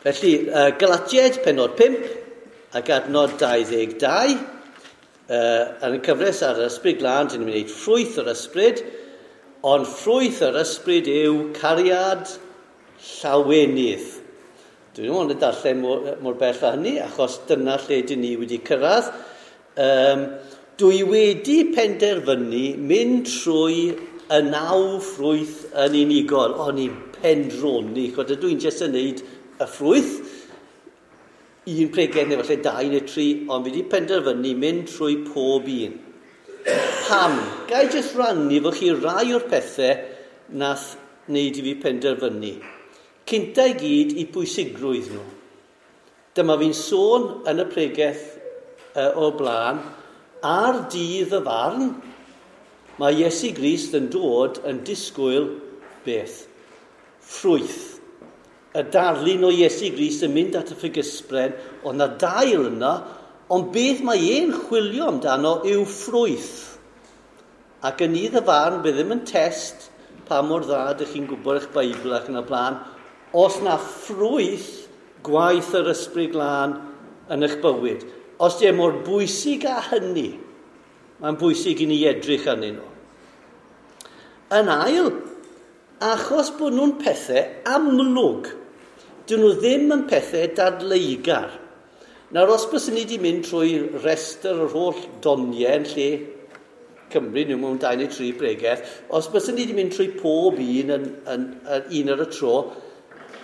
Felly, Galatiaid penod 5 ac adnod 22, yn y cyfres ar yr Ysbryd Glân, dyn ni'n mynd i wneud ffrwyth yr ysbryd, ond ffrwyth yr ysbryd yw cariad, llawenydd. Dwi'n ddim ond yn darllen mor bell â hynny, achos dyna lle dyn ni wedi cyrraedd. Dwi wedi penderfynu mynd trwy y 9 ffrwyth yn unigol. O'n i'n pendroni, chod ydw i'n jyst yn neud y ffrwyth, un pregeth neu falle 2 neu 3, ond fi wedi penderfynu mynd trwy pob un. Pam? Ga i jyst rannu fo chi rai o'r pethau nath wneud i fi penderfynu. Cynta i gyd i bwysigrwydd nhw. Dyma fi'n sôn yn y pregeth o'r blaen, ar dydd y farn, mae Iesu Grist yn dod yn disgwyl beth? Ffrwyth. Y darlun o Iesu Grist yn mynd at y ffigysbren, ond na dail yna, ond beth mae e'n chwilio amdano yw ffrwyth. Ac yn nydd y farn, bydd ddim yn test pa mor dda ydych chi'n gwybod eich Beibl ac yn y blaen, os na ffrwyth gwaith yr Ysbryd Glân yn eich bywyd. Os di e mor bwysig â hynny, mae'n bwysig i ni edrych arnyn nhw. Yn ail, achos bod nhw'n pethau amlwg, dyn nhw ddim yn pethau dadleugar. Nawr, os byswn ni wedi mynd trwy restr yr holl doniau yn lle Cymru, nhw mewn 2 neu 3 bregeth, os byswn ni wedi mynd trwy pob un yn un ar y tro,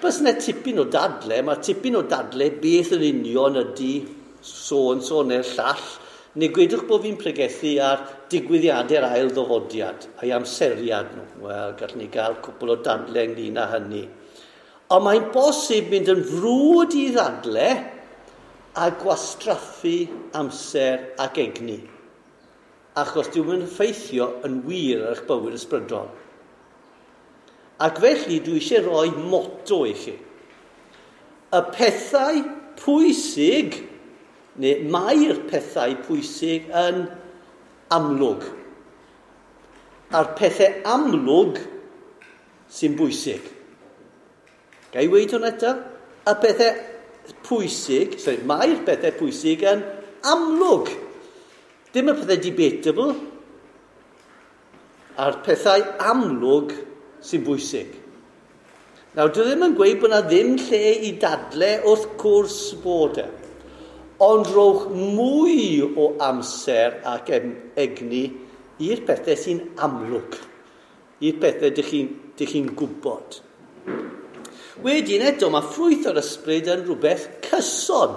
bys yna tipyn o dadle, mae tipyn o dadle beth yn union ydy so-and-so neu'r llall, neu gwedwch bod fi'n pregethu ar digwyddiadau'r ail ddyfodiad a'i amseriad nhw. Wel, gallwn ni gael cwpl o dadle ynglyn â hynny. Ond mae'n bosib mynd yn frwd i ddadle a gwastraffu amser ac egni. Achos dyw e'n effeithio yn wir ar eich bywyd ysbrydol. Ac felly dwi eisiau rhoi motto i chi. Y pethau pwysig, neu mae'r pethau pwysig yn amlwg. A'r pethau amlwg sy'n bwysig. Ga i weud hwnna eto? Y pethau pwysig, sorry, mae'r pethau pwysig yn amlwg. Dim y pethau debatable, a'r pethau amlwg sy'n bwysig. Nawr, dwi ddim yn gweud bod yna ddim lle i dadle wrth gwrs bod e. Ond rhowch mwy o amser ac egni i'r pethau sy'n amlwg, i'r pethau dych chi'n gwybod. Wedyn eto, mae ffrwyth o'r ysbryd yn rhywbeth cyson.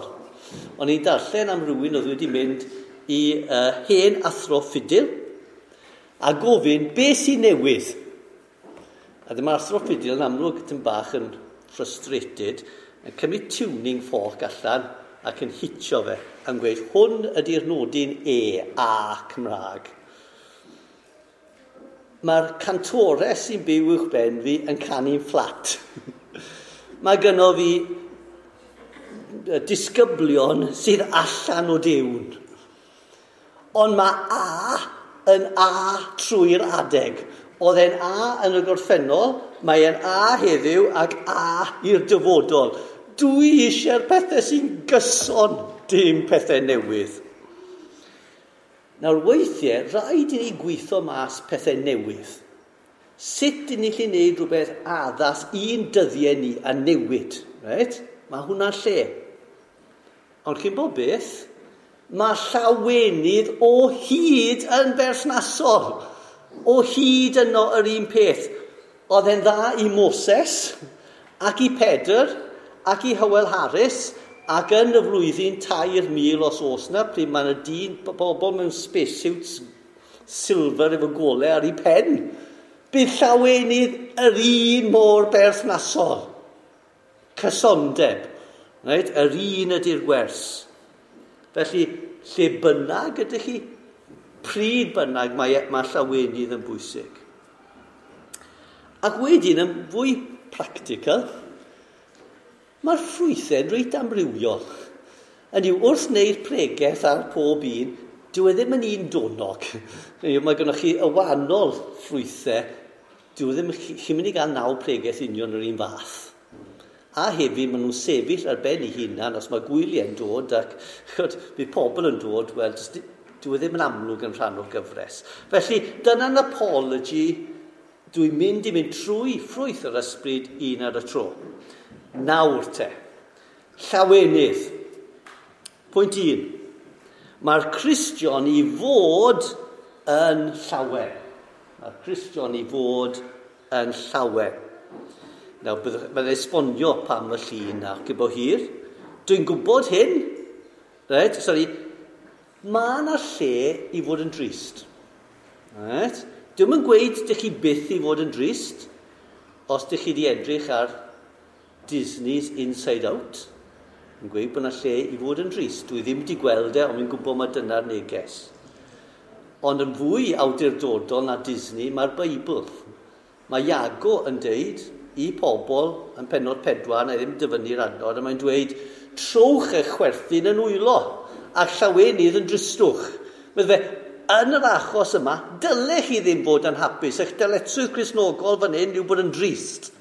O'n i'n darllen am rhywun oedd wedi mynd i hen athro ffidil a gofyn beth sy'n newydd. A dyma'r athro ffidil yn amlwg yn bach yn frustrated, yn cymryd tuning fork allan ac yn hitio fe, yn gweud hwn ydy'r nodyn E, A Cymraeg. Mae'r cantores sy'n byw uwch ben fi yn canu'n fflat. Mae gynno fi disgyblion sydd allan o diwn. Ond mae A yn A trwy'r adeg. Oedd e'n A yn y gorffennol, mae e'n A heddiw ac A i'r dyfodol. Dwi eisiau'r pethau sy'n gyson, dim pethau newydd. Nawr weithiau, rhaid i ni gweithio mas pethau newydd. Sut i ni allu gwneud rhywbeth addas i'n dyddiau ni a newid, right? Mae hwnna'n lle. Ond chi'n bod beth, mae llawenydd o hyd yn berthnasol. O hyd yno yr un peth. Oedd e'n dda i Moses, ac i Pedr, ac i Hywel Harris, ac yn y flwyddyn 3000 os oes na, pryd mae yna dyn, bobl mewn spacesuits silver efo golau ar ei pen. Bydd llawenydd yr un mor berthnasol. Cysondeb. Right? Yr un ydy'r gwers. Felly, lle bynnag ydych chi, pryd bynnag mae llawenydd yn bwysig. Ac wedyn, yn fwy practical, mae'r ffrwythau'n reit amrywiol. Hynny yw, wrth wneud pregeth ar pob un, dyw e ddim yn un donog. Mae gennych chi y wahanol ffrwythau, dyw e ddim, chi'n mynd i gael 9 pregeth union yr un fath. A hefyd maen nhw'n sefyll ar ben eu hunan os mae gwyliau'n dod ac chod, bydd pobl yn dod, wel, dwi e ddim yn amlwg yn rhan o'r gyfres. Felly, dyna'n apology, dwi'n mynd i mynd trwy ffrwyth yr ysbryd un ar y tro. Nawr te, llawenydd. Pwynt 1. Mae'r Cristion i fod yn llawen. Mae'r Cristion i fod yn llawen. Nawr, byddai'n esbonio pam y llun ac y bo hir. Dwi'n gwybod hyn. Right? Sorry. Mae yna lle i fod yn drist. Right? Dwi'm yn gweud dych chi byth i fod yn drist, os dych chi wedi edrych ar Disney's Inside Out, yn gweud bod yna lle i fod yn drist. Dwi ddim wedi gweld e, ond fi'n gwybod mae dyna'r neges. Ond yn fwy awdurdodol na Disney, mae'r Beibl. Mae Iago yn deud i pobl yn pennod 4, na i ddim dyfynnu'r adnod, a mae'n dweud, trowch eich chwerthin yn wylo, a llawenydd yn dristwch. Mae fe, yn yr achos yma, dylech chi ddim fod yn hapus. Eich dyletswydd Cristnogol fan hyn yw bod yn drist.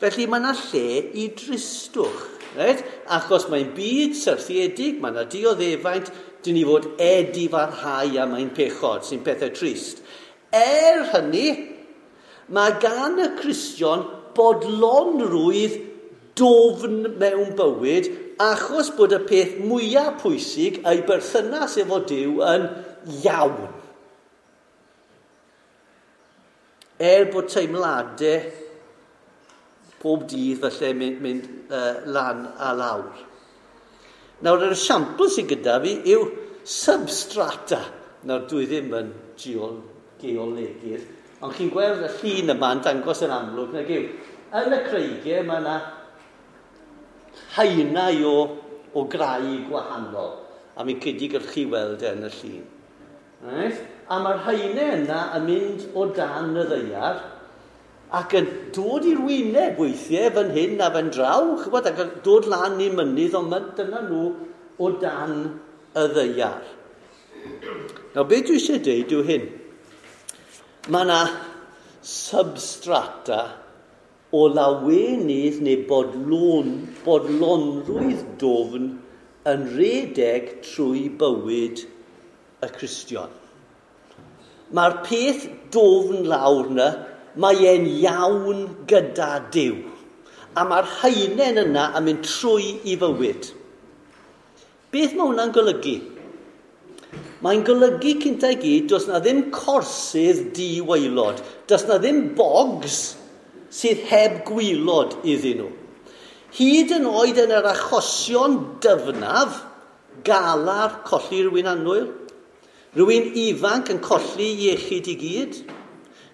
Felly mae yna lle i dristwch. Right? Achos mae'n byd syrthiedig, mae yna dioddefaint, dyn ni fod edifarhau am ein pechod, sy'n pethau trist. Er hynny, mae gan y Cristion bodlonrwydd dofn mewn bywyd achos bod y peth mwyaf pwysig ei berthynas efo Duw yn iawn. Er bod teimladau pob dydd falle mynd lan a lawr. Nawr, yr esiampl sydd gyda fi yw substrata. Nawr, dwi ddim yn geolegydd, ond chi'n gweld y llun yma yn dangos yn amlwg, nag yw. Yn y creigiau mae yna haenau o graig gwahanol, a mi'n credu gallwch chi weld e yn y llun. Right? A mae'r haenau yna yn mynd o dan y ddaear ac yn dod i'r wyneb weithiau fan hyn a fan draw, chybod, ac yn dod lan i'r mynydd, ond dyna nhw o dan y ddaear. Nawr, beth dwi eisiau dweud yw hyn. Mae yna substrata o lawenydd neu bodlonrwydd dofn yn redeg trwy bywyd y Cristion. Mae'r peth dofn lawr yna, mae e'n iawn gyda Duw. A mae'r haenen yna yn mynd trwy i fywyd. Beth mae hwnna'n golygu? Mae'n golygu cynta i gyd, does na ddim corsydd diwaelod. Does na ddim bogs sydd heb gwylod iddyn nhw. Hyd yn oed yn yr achosion dyfnaf, galar colli rhywun annwyl, rhywun ifanc yn colli iechyd i gyd,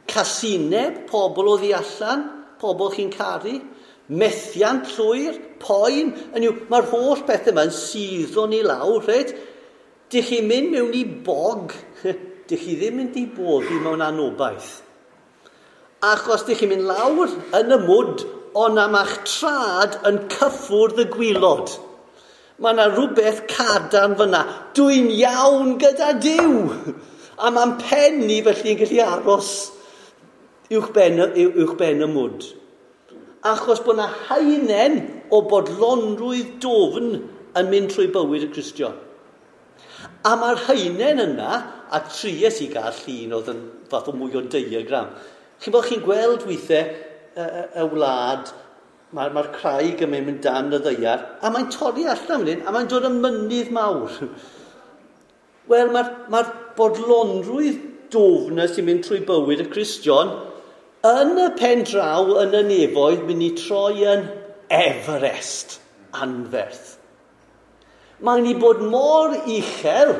casineb pobl o ddi allan, pobl chi'n caru, methiant llwyr, poen, yn yw, mae'r holl beth yma yn suddo ni lawr, reit? Dych chi'n mynd mewn i bog, dych chi ddim mynd i boddi mewn anobaith. Achos dych chi'n mynd lawr yn y mwd, ond am eich trad yn cyffwrdd y gwylod. Mae yna rhywbeth cadarn fyna. Dwi'n iawn gyda Duw. A mae'n pen ni felly yn gallu aros uwch ben y mwd. Achos bod yna haenen o bodlonrwydd dofn yn mynd trwy bywyd y Cristion. A mae'r haenen yna, a tries i gael llun oedd yn fath o mwy o diagram. Chi'n bod chi'n gweld weithiau y wlad, mae'r craig yn mynd dan y ddaear, a mae'n torri allan fan hyn, a mae'n dod yn mynydd mawr. Wel, mae'r bodlonrwydd dofn sy'n mynd trwy bywyd y Cristion, yn y pen draw yn y nefoedd, mynd i troi yn Everest anferth. Mae'n i bod mor uchel,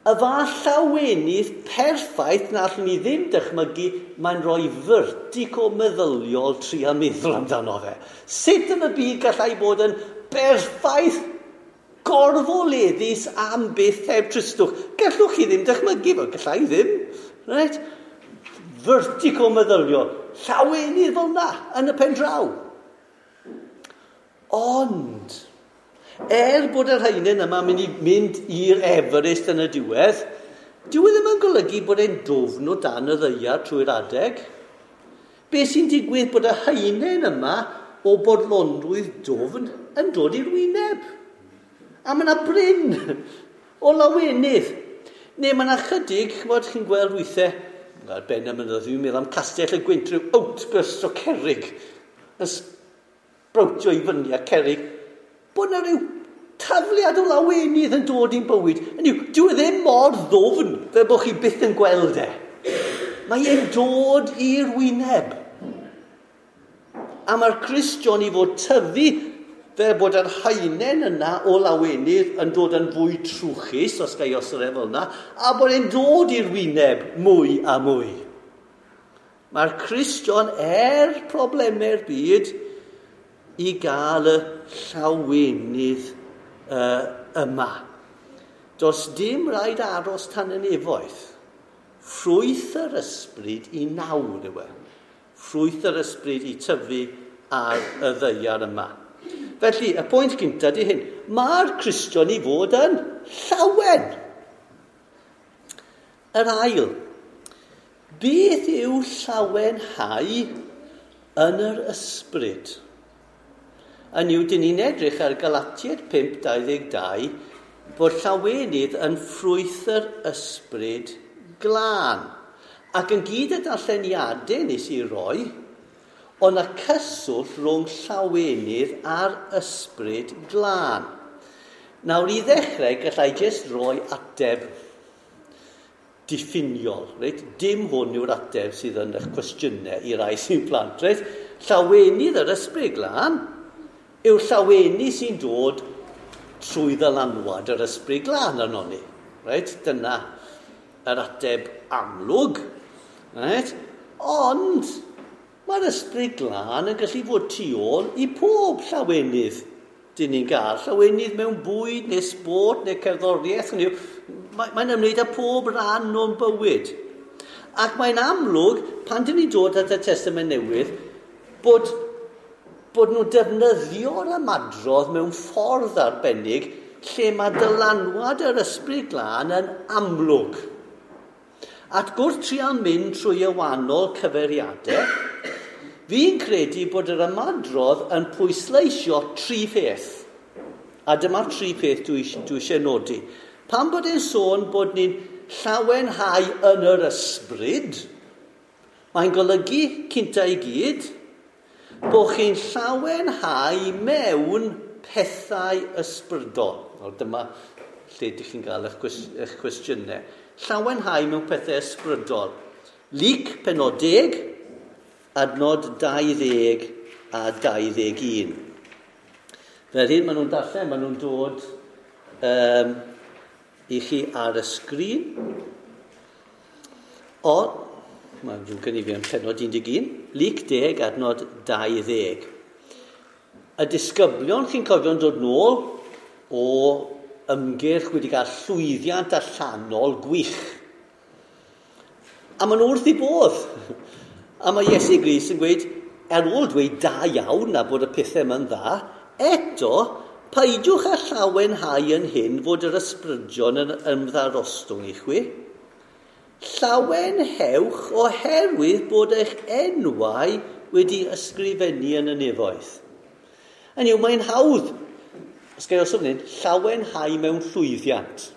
y fath llawenydd perffaith na allwn ni ddim dychmygu, mae'n rhoi vertigo meddyliol tria meddwl amdano fe. Sut yn y byd gallai bod yn berffaith gorfoleddus am byth heb tristwch? Gallwch chi ddim dychmygu fo, gallai ddim. Right? Vertigo meddyliol, llawenydd fel na yn y pen draw. Ond, er bod yr haenen yma mynd i mynd i'r Everest yn y diwedd, dyw e ddim yn golygu bod e'n dwfn o dan y ddaear trwy'r adeg. Be sy'n digwydd bod y haenen yma o bodlonrwydd dwfn yn dod i'r wyneb. A mae yna bryn o lawenydd. Neu mae yna chydig, ch'mod, chi'n gweld weithiau, ar ben y mynydd, dwi'n meddwl am Castell y Gwynt, rhyw outburst o cerig, yn sbrowtio i fyny a cerig, bod yna rhyw tafliad o lawenydd yn dod i'n bywyd. Hynny yw, dyw e ddim mor ddwfn fel bod chi byth yn gweld e. Mae e'n dod i'r wyneb. A mae'r Cristion i fod tyfu fel bod yr haenen yna o lawenydd yn dod yn fwy trwchus, os ga i osod e fel yna, a bod e'n dod i'r wyneb mwy a mwy. Mae'r Cristion, er problemau'r byd, i gael y llawenydd yma. Does dim rhaid aros tan y nefoedd. Ffrwyth yr ysbryd i nawr yw e. Ffrwyth yr ysbryd i tyfu ar y ddaear yma. Felly, y pwynt gyntaf di hyn. Mae'r Cristion i fod yn llawen. Yr ail, beth yw llawenhau yn yr ysbryd? Yn yw, dyn ni'n edrych ar Galatiaid 5:22 bod llawenydd yn ffrwyth yr ysbryd glân. Ac yn gyd y darlleniadau nes i roi, ond y cyswllt rhwng llawenydd a'r ysbryd glân. Nawr, i ddechrau, gallai jyst roi ateb diffiniol. Reit? Dim hwn yw'r ateb sydd yn eich cwestiynau i rai sy'n plant. Reit? Llawenydd yr ysbryd glân yw'r llawenydd sy'n dod trwy ddylanwad yr ysbryd glân arno ni. Reit? Dyna yr ateb amlwg. Reit? Ond mae'r ysbryd glân yn gallu fod tu ôl i pob llawenydd dyn ni'n gael. Llawenydd mewn bwyd neu sbort neu cerddoriaeth. Mae'n ymwneud â pob rhan o'n bywyd. Ac mae'n amlwg, pan dyn ni'n dod at y Testament Newydd, bod nhw'n defnyddio'r ymadrodd mewn ffordd arbennig lle mae dylanwad yr ysbryd glân yn amlwg. At gwrs trial mynd trwy y wahanol cyfeiriadau, fi'n credu bod yr ymadrodd yn pwysleisio tri pheth. A dyma'r tri pheth dwi eisiau nodi. Pan bod e'n sôn bod ni'n llawenhau yn yr ysbryd, mae'n golygu cynta i gyd bod chi'n llawenhau mewn pethau ysbrydol. Nawr dyma lle ydych chi'n gael eich cwestiynau. Llawenhau mewn pethau ysbrydol. Luc pennod 10, adnod 20 a 21. Fel hyn maen nhw'n darllen, maen nhw'n dod i chi ar y sgrin. O, mae'n ddrwg gen i fi am pennod 11, Luc 10, adnod 20. Y disgyblion, chi'n cofio'n dod nôl o ymgyrch wedi cael llwyddiant allanol gwych. A maen nhw wrth eu bodd. A mae Iesu Grist yn gweud, ar ôl dweud da iawn a bod y pethau yma'n dda, eto, peidiwch â llawenhau yn hyn fod yr ysbrydion yn ymddarostwng i chwi. Llawenhewch oherwydd bod eich enwau wedi ysgrifennu yn y nefoedd. Hynny yw, mae'n hawdd, os gael os hyn, llawenhau mewn llwyddiant.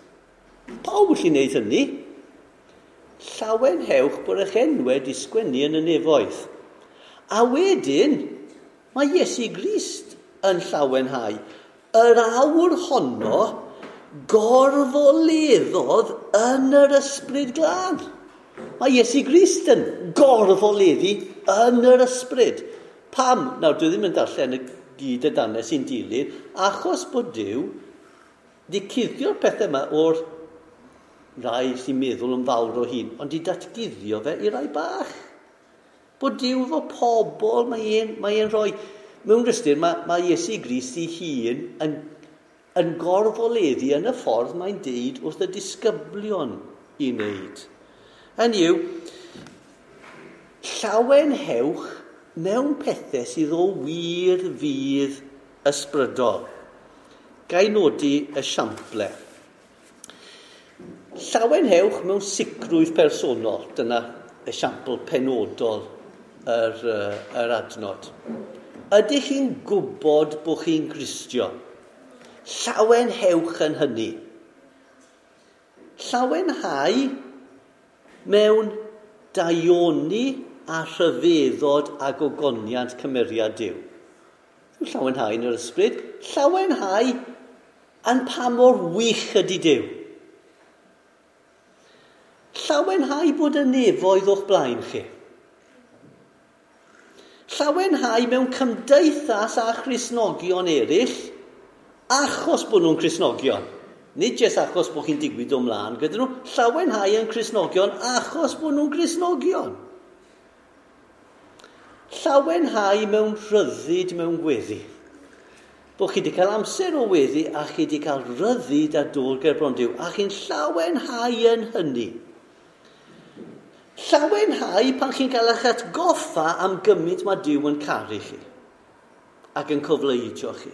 Pawb yn gallu gwneud hynny. Llawenhewch bod eich enwau wedi sgwennu yn y nefoedd. A wedyn, mae Iesu Grist yn llawenhau. Yr awr honno gorfoleddodd yn yr ysbryd glân. Mae Iesu Grist yn gorfoleddu yn yr ysbryd. Pam? Nawr, dwi ddim yn darllen y gyd y danau sy'n dilyn, achos bod Duw wedi cuddio'r pethau yma o'r rai sy'n meddwl yn fawr o hun, ond di datguddio fe i rai bach. Bod Duw efo pobl, mae e'n rhoi... Mewn ystyr, mae Iesu Grist ei hun yn gorfoleddu yn y ffordd mae'n deud wrth y disgyblion i wneud. Hynny yw, llawenhewch mewn pethau sydd o wir fudd ysbrydol. Ga i nodi esiample. Llawenhewch mewn sicrwydd personol. Dyna esiampl penodol yr adnod. Ydych chi'n gwybod bod chi'n Gristion? Llawenhewch yn hynny. Llawenhau mewn daioni a rhyfeddod a gogoniant cymeriad Duw. Llawenhau yn yr ysbryd. Llawenhau yn pa mor wych ydy Duw. Llawenhau bod y nefoedd o'ch blaen chi. Llawenhau mewn cymdeithas â Christnogion eraill achos bod nhw'n Cristnogion. Nid jyst achos bod chi'n digwydd o mlaen gyda nhw. Llawenhau yn Cristnogion achos bod nhw'n Cristnogion. Llawenhau mewn rhyddid mewn gweddi. Bod chi wedi cael amser o weddi a chi wedi cael rhyddid a dod ger bron Duw. A chi'n llawenhau yn hynny. Llawenhau pan chi'n cael eich atgoffa am gymaint mae Duw yn caru chi ac yn cofleidio chi.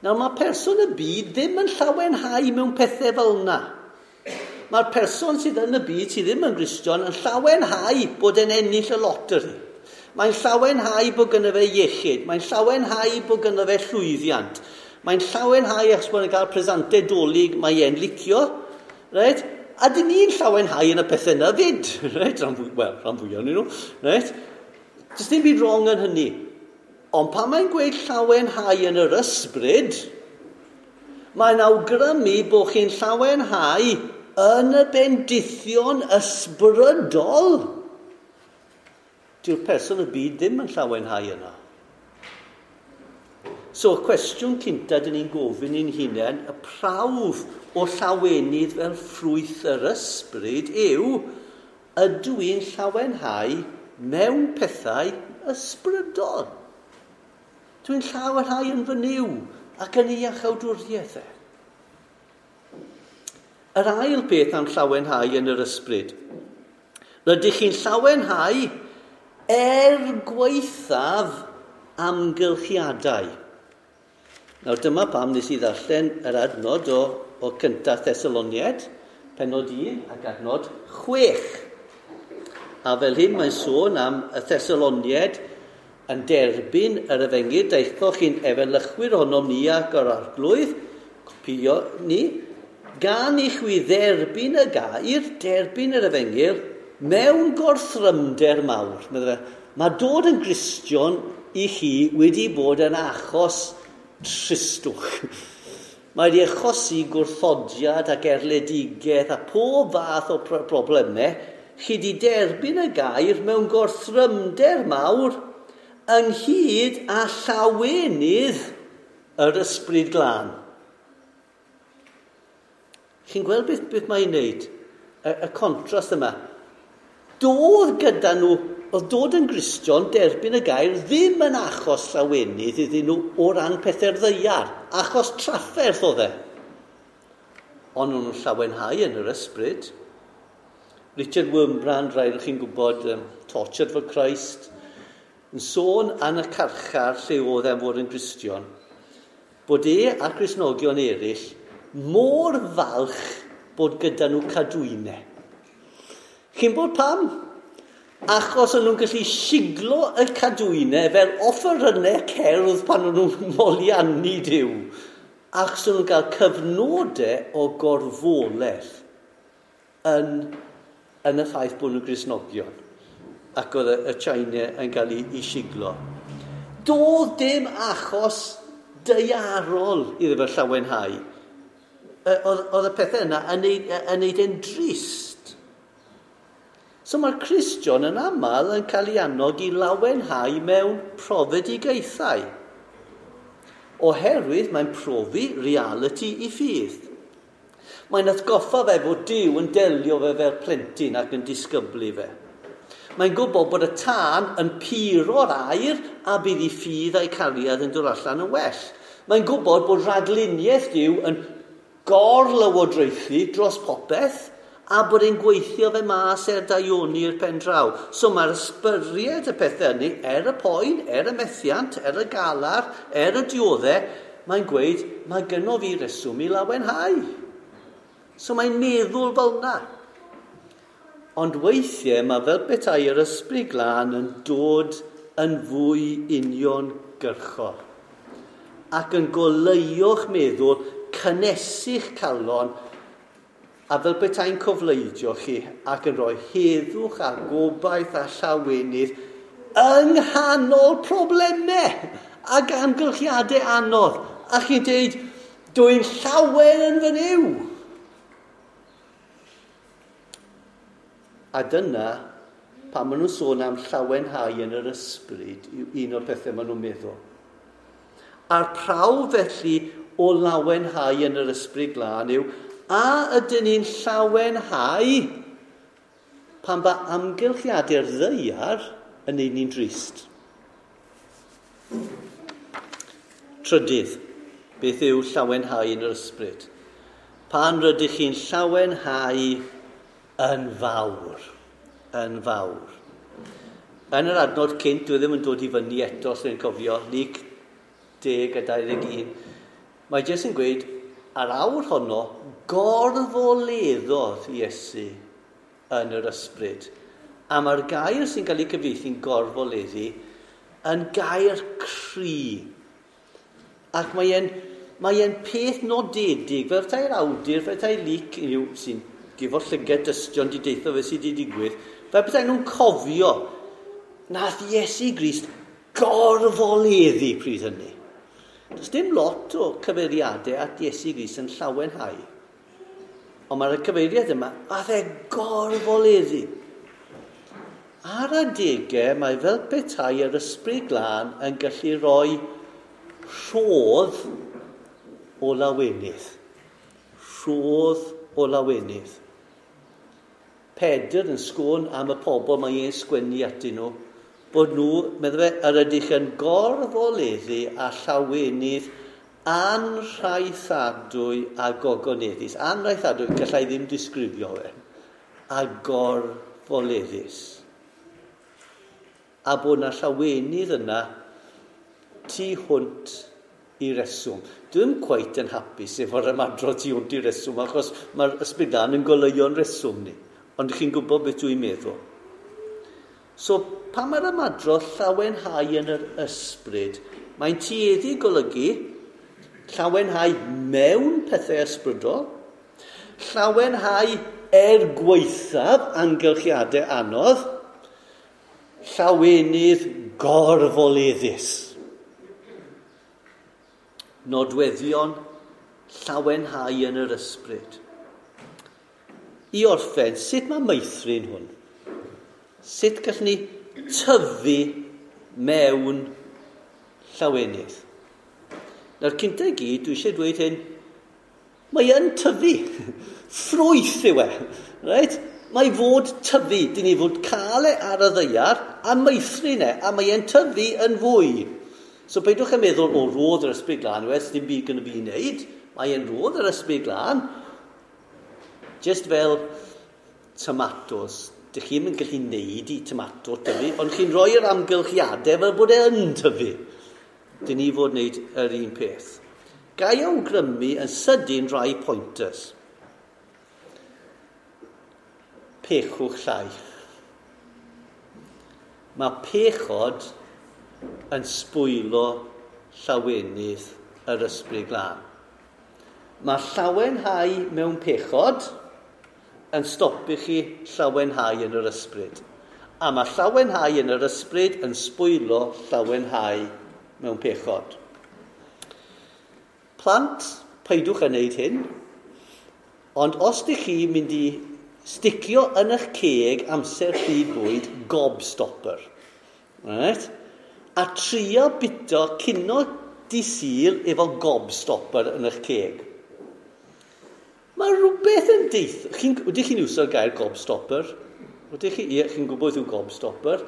Nawr mae person y byd ddim yn llawenhau mewn pethau fel yna. Mae'r person sydd yn y byd sydd ddim yn Gristion yn llawenhau bod e'n ennill y loteri. Mae'n llawenhau bod gynno fe iechyd. Mae'n llawenhau bod gynno fe llwyddiant. Mae'n llawenhau achos bod e'n cael presantau Dolig mae e'n licio. Right? A dyn ni'n llawenhau yn y pethau yna fyd. Right? Rhan fwyaf ohonyn nhw. Right? Does dim byd wrong yn hynny. Ond pan mae'n gweud llawenhau yn yr ysbryd, mae'n awgrymu bod chi'n llawenhau yn y bendithion ysbrydol. Dyw'r person y byd ddim yn llawenhau yna. So, y cwestiwn cynta dyn ni'n gofyn i'n hunain, y prawf o llawenydd fel ffrwyth yr ysbryd yw, ydw i'n llawenhau mewn pethau ysbrydol? Dwi'n llawenhau yn fy Nuw ac yn ei iachawdwriaeth e. Yr ail beth am llawenhau yn yr ysbryd. Rydych chi'n llawenhau er gwaethaf amgylchiadau. Nawr dyma pam nes i ddarllen yr adnod o cyntaf Thessaloniaid, pennod 1 ac adnod 6. A fel hyn mae'n sôn am y Thessaloniaid yn derbyn yr efengyl, daethoch chi'n efelychwyr ohonom ni ac o'r arglwydd, copio ni, gan i chwi dderbyn y gair, derbyn yr efengyl, mewn gorthrymder mawr. Mae dod yn Gristion i chi wedi bod yn achos tristwch. Mae wedi achosi gwrthodiad ac erledigaeth a pob fath o problemau. Chi wedi derbyn y gair mewn gorthrymder mawr ynghyd â llawenydd yr ysbryd glân. Chi'n gweld beth mae'n wneud? Y contrast yma. Doedd gyda nhw, oedd dod yn Gristion, derbyn y gair, ddim yn achos llawenydd iddyn nhw o ran pethau'r ddaear. Achos trafferth oedd e. Ond nhw'n llawenhau yn yr ysbryd. Richard Wurmbrand, rhai o'ch chi'n gwybod, Tortured for Christ, yn sôn yn y carchar lle oedd e'n fod yn Gristion, bod e a Cristnogion eraill mor falch bod gyda nhw cadwynau. Chi'n bod pam? Achos o'n nhw'n gallu siglo y cadwynau fel offerynnau cerdd pan o'n nhw'n moliannu Duw. Achos o'n nhw'n cael cyfnodau o gorfoledd yn y ffaith bod nhw'n Gristnogion. Ac oedd y China yn cael ei siglo. Doedd dim achos daearol iddo fe llawenhau. Oedd y pethau yna yn neud e'n drist. So mae'r Cristion yn aml yn cael ei annog i lawenhau mewn profedigaethau. Oherwydd mae'n profi reality i ffydd. Mae'n atgoffa fe fod Duw yn delio fe fel plentyn ac yn disgyblu fe. Mae'n gwybod bod y tân yn puro'r aer a bydd ei ffydd a'i cariad yn dod allan yn well. Mae'n gwybod bod rhagluniaeth Duw yn gorlywodraethu dros popeth a bod e'n gweithio fe mas er daioni i'r pen draw. So mae'r ysbyriad y pethau hynny, er y poen, er y methiant, er y galar, er y dioddau, mae'n gweud, mae gynno fi reswm i lawenhau. So mae'n meddwl fel yna. Ond weithiau mae fel petai yr Ysbryd Glân yn dod yn fwy uniongyrchol ac yn goleuo'ch meddwl, cynnesu'ch calon, a fel petai'n cofleidio chi ac yn rhoi heddwch a gobaith a llawenydd yng nghanol problemau ac amgylchiadau anodd. A chi'n dweud, "Dwi'n llawen yn fy Nuw." A dyna pan maen nhw'n sôn am llawenhau yn yr ysbryd, yw un o'r pethau maen nhw'n meddwl. A'r prawf felly o lawenhau yn yr Ysbryd Glân yw, a ydyn ni'n llawenhau pan ba amgylchiadau'r ddaear yn neud ni'n drist? Trydydd, beth yw llawenhau yn yr ysbryd? Pan rydych chi'n llawenhau yn fawr. Yn fawr. Yn yr adnod cynt, dwi ddim yn dod i fyny eto, os ydyn cofio, Luc 10 a 21. Mae jyst yn gweud, ar awr honno, gorfoleddodd Iesu yn yr ysbryd. A mae'r gair sy'n cael ei cyfieithu'n gorfoleddu yn gair cry. Ac mae e'n peth nodedig, fel petai'r awdur, fel petai Luc yw, sy'n gifo llygad dystion di deitho fe sydd wedi digwydd, fel petai nhw'n cofio nath Iesu Grist gorfoleddu pryd hynny. Does dim lot o cyfeiriadau at Iesu Grist yn llawenhau. Ond mae'r cyfeiriad yma, a e gorfoleddu. Ar adegau, mae fel petai yr Ysbryd Glân yn gallu rhoi rhodd o lawenydd. Rhodd o lawenydd. Pedr yn sgôn am y pobl mae e'n sgwennu atyn nhw, bod nhw, meddwl fe, yr ydych yn gorfoleddu â llawenydd anrhaethadwy a gogoneddus. Anrhaethadwy, gallai ddim disgrifio fe. A gorfoleddus. A bod na llawenydd yna tu hwnt i reswm. Dwi'n cweit yn hapus efo'r ymadrodd tu hwnt i reswm, achos mae'r Ysbryd Glân yn goleuo'n reswm ni. Ond chi'n gwybod beth dwi'n meddwl. So, pan mae'r ymadrodd llawenhau yn yr ysbryd, mae'n tueddu golygu llawenhau mewn pethau ysbrydol, llawenhau er gwaethaf amgylchiadau anodd, llawenydd gorfoleddus. Nodweddion llawenhau yn yr ysbryd. I orffen, sut mae meithrin hwn? Sut gallwn ni tyfu mewn llawenydd? Nawr, cynta i gyd, dwi eisiau dweud hyn, mae yn tyfu. Ffrwyth yw e. Right? Mae fod tyfu. Dyn ni fod cael e ar y ddaear a meithrin e, a mae e'n tyfu yn fwy. So peidiwch yn meddwl, "O, rodd yr Ysbryd Glân, wes dim byd gyda fi i wneud." Mae e'n rodd yr Ysbryd Glân. Just fel tomatos. Dych chi'n yn gallu neud i tomato tyfu, ond chi'n rhoi'r amgylchiadau fel bod e yn tyfu. Dyn ni fod wneud yr un peth. Ga i awgrymu yn sydyn rai pointers. Pechwch llai. Mae pechod yn sbwylo llawenydd yr Ysbryd Glân. Mae llawenhau mewn pechod yn stopio chi llawenhau yn yr ysbryd. A mae llawenhau yn yr ysbryd yn sbwylo llawenhau mewn pechod. Plant, peidwch yn wneud hyn, ond os ydych chi mynd i sticio yn eich ceg amser pryd bwyd gobstopper, right? A trio bito cino dydd Sul efo gobstopper yn eich ceg. Mae rhywbeth yn deith... Ydych chi'n iwso'r gair gobstopper? Ydych chi? Ie, chi'n gwybod yw gobstopper.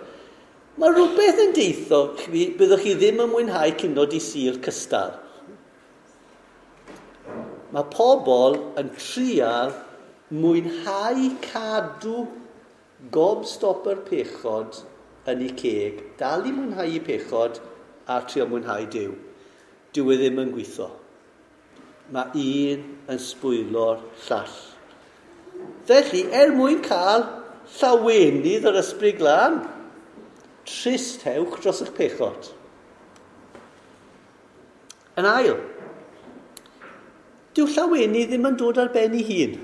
Mae rhywbeth yn deitho chi, byddwch chi ddim yn mwynhau cino dydd Sul cystal. Mae pobl yn trial mwynhau cadw gobstopper pechod yn eu ceg, dal i mwynhau eu pechod a trio mwynhau Duw. Dyw e ddim yn gweithio. Mae un yn sbwylo'r llall. Felly, er mwyn cael llawenydd yr Ysbryd Glân. Tristhewch dros eich pechod. Yn ail, dyw llawenydd ddim yn dod ar ben ei hun.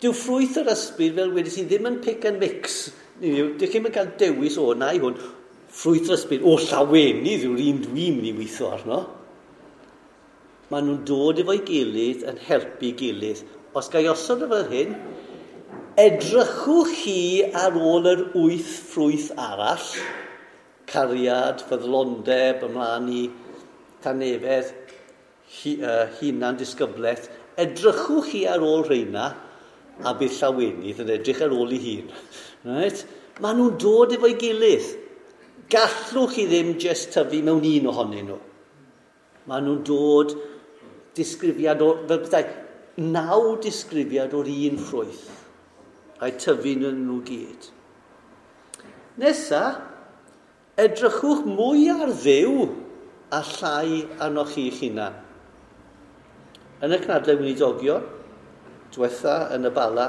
Dyw ffrwyth yr ysbryd, fel wedes i, ddim yn pick and mix. Dych chi'm yn cael dewis o na i hwn. Ffrwyth yr ysbryd, o, llawenydd yw'r un dwi'n mynd i weithio arno. Maen nhw'n dod efo'i gilydd yn helpu gilydd. Os ga i osod o fel hyn, edrychwch chi ar ôl yr 8 ffrwyth arall, cariad, ffyddlondeb, ymlaen i tanefedd, hunan disgyblaeth, edrychwch chi ar ôl rheina, a bydd llawenydd yn edrych ar ôl ei hun. Right? Maen nhw'n dod efo'i gilydd. Gallwch chi ddim jyst tyfu mewn un ohonyn nhw. Maen nhw'n dod disgrifiad o, fel bethau, 9 disgrifiad o'r un ffrwyth. A'i tyfu yn nhw gyd. Nesa, edrychwch mwy ar Dduw a llai arnoch chi'ch hunan. Yn y cynadledd gweinidogion, diwetha yn y Bala,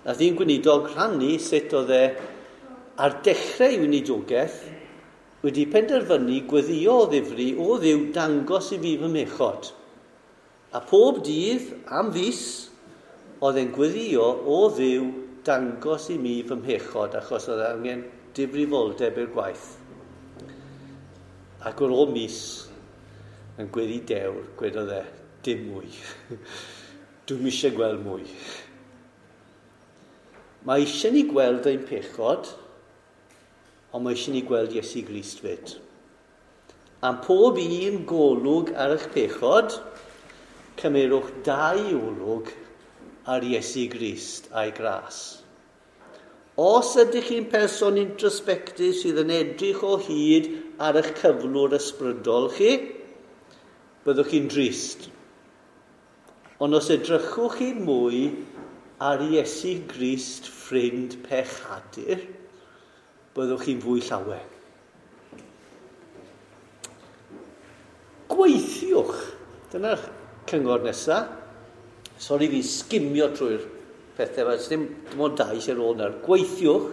nath un gweinidog rhannu sut oedd e ar dechrau ei weinidogaeth wedi penderfynu gweddio o ddifri o Dduw dangos i fi fy mechod. A pob dydd am fis oedd e'n gweddio o Dduw dangos i mi fy mhechod, achos oedd angen difrifoldeb i'r gwaith. Ac ar ôl mis yn gweddi dewr, gwedodd e, dim mwy. Dwi'm eisiau gweld mwy. Mae eisiau ni gweld ein pechod, ond mae eisiau ni gweld Iesu Grist fyd. Am pob un golwg ar eich pechod, cymerwch 2 olwg ar Iesu Grist a'i gras. Os ydych chi'n person introspective sydd yn edrych o hyd ar eich cyflwr ysbrydol chi, byddwch chi'n drist. Ond os edrychwch chi mwy ar Iesu Grist ffrind pechadur, byddwch chi'n fwy llawen. Gweithiwch. Dyna'r cyngor nesaf. Sori fi sgimio trwy'r pethau, mae dim ond 2 sy'n ôl nawr. Gweithiwch.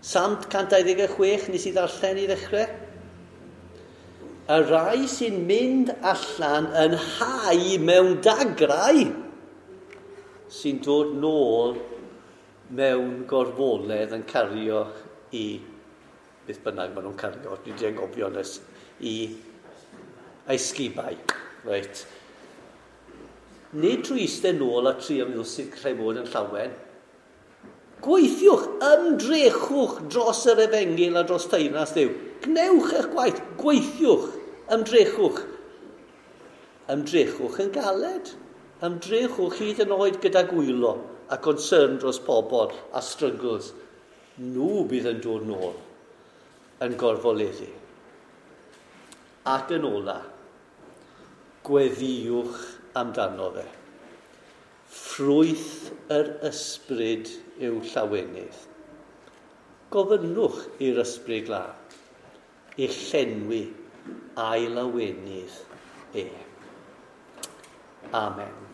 Salm 126 nes i ddarllen i ddechrau. Y rai sy'n mynd allan yn hau mewn dagrau sy'n dod nôl mewn gorfoledd yn cario i beth bynnag maen nhw'n cario, dwi wedi anghofio nes i esgibau. Reit. Nid trwy eistedd nôl a trio meddwl sut gallai fod yn llawen. Gweithiwch, ymdrechwch dros yr efengyl a dros teyrnas Dduw. Gwnewch eich gwaith, gweithiwch, ymdrechwch. Ymdrechwch yn galed. Ymdrechwch hyd yn oed gyda gwylo a concern dros pobl a struggles. Nhw bydd yn dod nôl yn gorfoleddu. Ac yn ola, gweddiwch amdano fe. Ffrwyth yr ysbryd yw llawenydd. Gofynnwch i'r Ysbryd Glân i llenwi a'i lawenydd e. Amen.